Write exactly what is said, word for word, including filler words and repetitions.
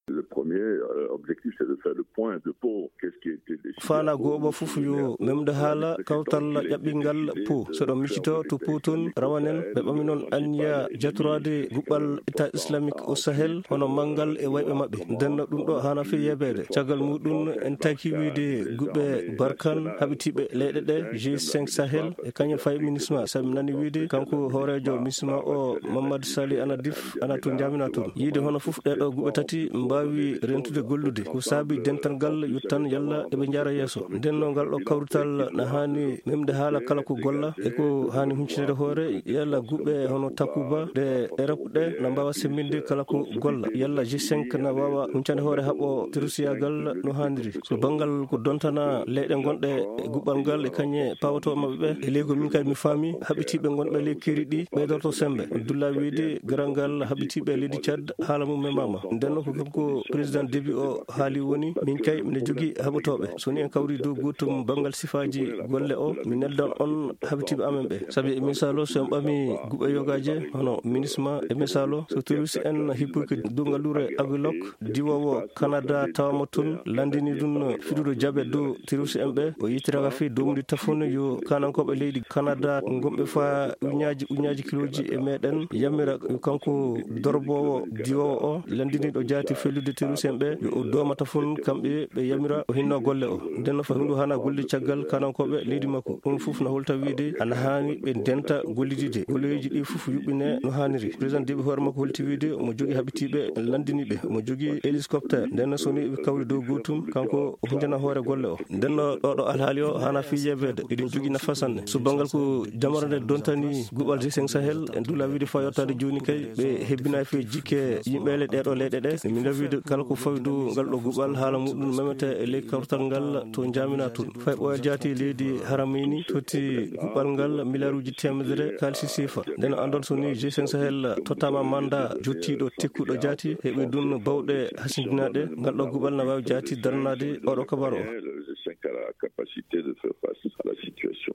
Le premier euh, objectif, c'est de faire le point de Pau. Qu'est-ce qui a été décidé à Pau? Faana gooɓo fof yo memde haala kawtal ƴaɓɓingal Pau. So ɗon micito to Pau toon, rawanen ɓe ɓami noon anniya jatoraade guɓɓal État islamique au Sahel, hono manngal e wayɓe maɓɓe. Nden ɗum ɗo haana fii yeebeede. Caggal muɗum, en taki wiide guɓɓe Barkhane, haɓitiiɓe leyɗe ɗe, G cinq Sahel, e kañum fayi MINUSMA, sabi mi nani wiide kanko hooreejo MINUSMA o, Mamadou Sali Anadif, ana to njamina toon. Yiide hono fof ɗee ɗo guɓɓe tati mbaawi rentude gollude. Ko saabi dental ngal yottan yalla eɓe njara yeeso. Nden no ngal ɗo kawrital na haani memde haala kala ko golla e ko haani huncinde hoore, yalla guɓɓe hono Takuba ɗe Europe ɗe na mbaawa semminde kala ko golla, yalla G cinq na waawa huncande hoore haɓo terusiyaagal no haaniri. So banngal ko dontana leyɗe gonɗe e guɓɓal ngal e kañe pawotoo maɓɓe ɓe, e ley ko min kay mi faami, haɓitiiɓe gonɓe ley keeri ɗi ɓeydorto sembe. Abdullah wiide garal ngal haɓitiiɓe leydi Tchad haala mum memaama. Nden no ko kanko président Déby o haali woni, min kay mine jogii haɓotooɓe. So ni en kawri dow gootum banngal sifaaji golle o, mi neldan on haɓitiiɓe amen ɓe. Sabi e misaalo, so en ɓami guɓɓe yogaaje hono MINUSMA, e misaalo, so terroriste en hippoki dow ngalluure Aguelhok, diwoowo Canada tawama toon, lanndini ɗum fiɗude jaɓe dow terroriste en ɓe, o yettiraka fii doomdi tafon yo kanankooɓe leydi Canada gonɓe faa uñaaji uñaaji kilooji e meɗen yamira yo kanko dorbowo diwoowo o, lanndiniiɗo jaati fellude terroriste en ɓe, yo o dooma tafon kamɓe ɓe yamira o hinno golle o. Nden no faa hundu hana golli caggal kanankooɓe leydi makko. Ɗum fof na holta wiide ana haani ɓe ndenta gollidide. Golleeji ɗi fof yuɓɓine no haaniri. Président Déby hoore makko holti wiide omo jogii haɓitiiɓe, lanndini ɓe. Omo jogii hélicoptère. Nden no so ni ɓe kawri dow gootum, kanko o huntana hoore golle o. Nden no ɗo ɗo alhaali o hana fii yeebeede. Eɗen jogii nafa sanne. So banngal ko jamara nde dontani guɓɓal G cinq Sahel, en dula wiide faa yottaade jooni kay, ɓe hebbinaay fii jikke yimɓe le ɗee ɗo leyɗe ɗe. Min wiide kala ko fawi dow ngal ɗo guɓɓal haala muɗum memete e ley kawtal ngal to njamina toon. Fay ɓooyal jaati leydi Haramayni totti guɓɓal ngal miliyaaruuji teemedere kaalisi siifa. Nden anndon so ni G cinq Sahel tottama manda jottiiɗo tekkuɗo jaati, heɓi ɗum bawɗe hasindinaaɗe, ngal ɗo guɓɓal na waawi jaati daranaade oɗo kabaru o. Le G cinq a la capacité de faire face à la situation.